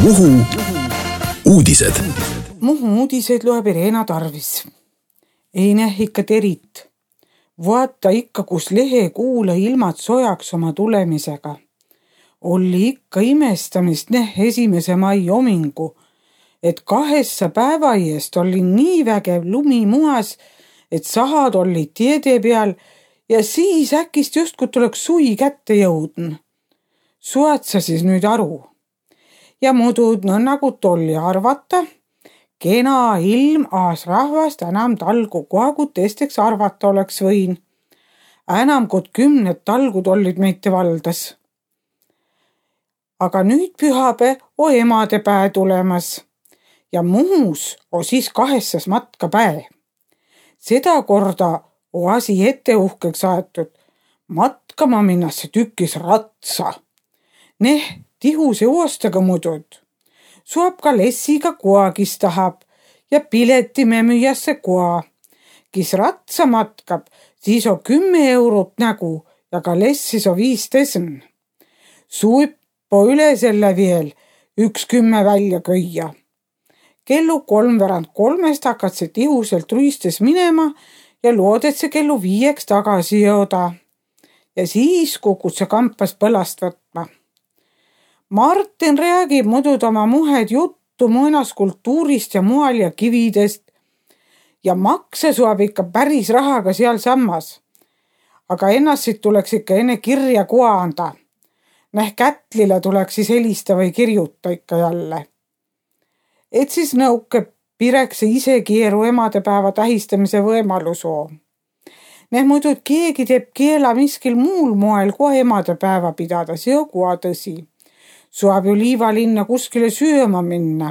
Muhu uudised. Muhu uudised loeb Irena Tarvis. Ei näh ikka terit. Vaata ikka, kus lehe kuule ilmad sojaks oma tulemisega. Oli ikka imestamist näh 1. mai omingu, et 2 päeva eest oli nii vägev lumi muas, et sahad olid tiede peal ja siis äkist justkui tuleks suvi kätte jõudn. Suad sa siis nüüd aru? Ja muudud nõnnagu tolli arvata, kena ilm aas rahvast enam talgu koagu teisteks arvata oleks võin. Enam kui 10 talgud olid meite valdas. Aga nüüd pühapäev o emadepäev tulemas ja Muhus o siis 2. matkapäev. Seda korda o asi ette uhkeks aetud. Matkama minnakse tükis ratsa. Tihuse oostaga mudud. Suab ka lessiga koa, kis tahab ja piletime müüasse koa. Kis ratsa matkab, siis on 10 eurot nägu ja ka lessis on 5 tesn. Suippo üle selle veel 1.10 välja köia. Kellu 3:03 hakkad see tihuselt ruistes minema ja looded see kellu 5 tagasi jõuda. Ja siis kukud see kampas põlast võtma. Martin räägib mudud oma muhed juttu muinaskultuurist ja mual ja kividest ja makse suab ikka päris rahaga seal sammas. Aga ennast tuleks ikka enne kirja koa anda. Kätlile tuleks siis helista või kirjuta ikka jälle. Et siis nõuke pirekse ise keeru emadepäeva tähistamise võimalusu. Muidu keegi teeb keela miskil muul moel kohe emadepäeva pidada, see on koa tõsi. Suab ju liivalinna kuskile sööma minna.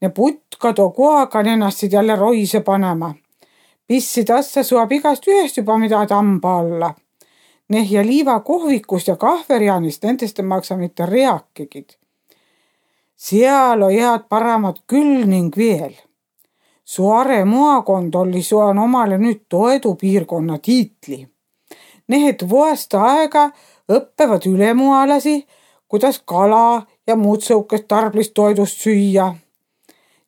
Ne putkad o koaga ennast jälle roise panema. Pissi tassa suab igast ühest juba mida tamba alla. Ja liivakohvikust ja kahverjanist nendest ei maksa mitte reakigid. Seal on head paramad küll ning veel. Suare maakond oli suan omale nüüd toedupiirkonna tiitli. Et vuosta aega õppevad ülemualasi, kuidas kala ja muud sõukest tarblist toidust süüa.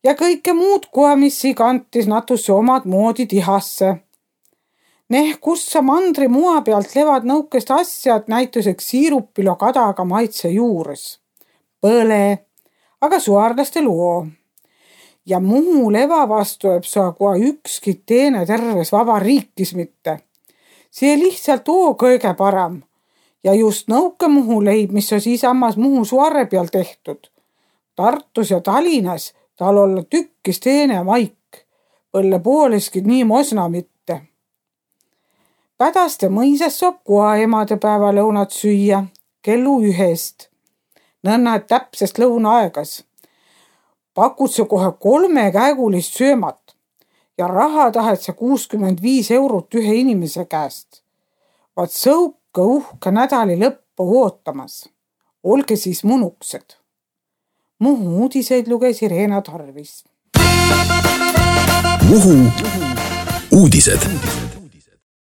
Ja kõike muud koemissi kantis natusse omad moodi tihasse. Kus sa mandri mua pealt levad nõukest asjad näituseks siirupilo kadaga maitse juures. Põle, aga suarlaste luo. Ja Muhu leva vastu jääb saa koa ükski teene terves vabariikis mitte. See lihtsalt oo kõige param. Ja just nõuke Muhu leib, mis on siis ammas Muhu suare peal tehtud. Tartus ja Tallinnas tal olla tükkis teene maik. Põlle pooleski nii mosna mitte. Pädaste mõisas saab koa emadepäeva lõunat süüa kellu 1. Nõnna täpsest lõunaaegas. Pakud sa kohe 3-käegulist söömat ja raha tahet sa 65 eurot ühe inimese käest. Vaat sõuka uhke nädali lõppu ootamas. Olge siis munuksed. Muhu uudiseid luges Irena Tarvis. Muhu uudised.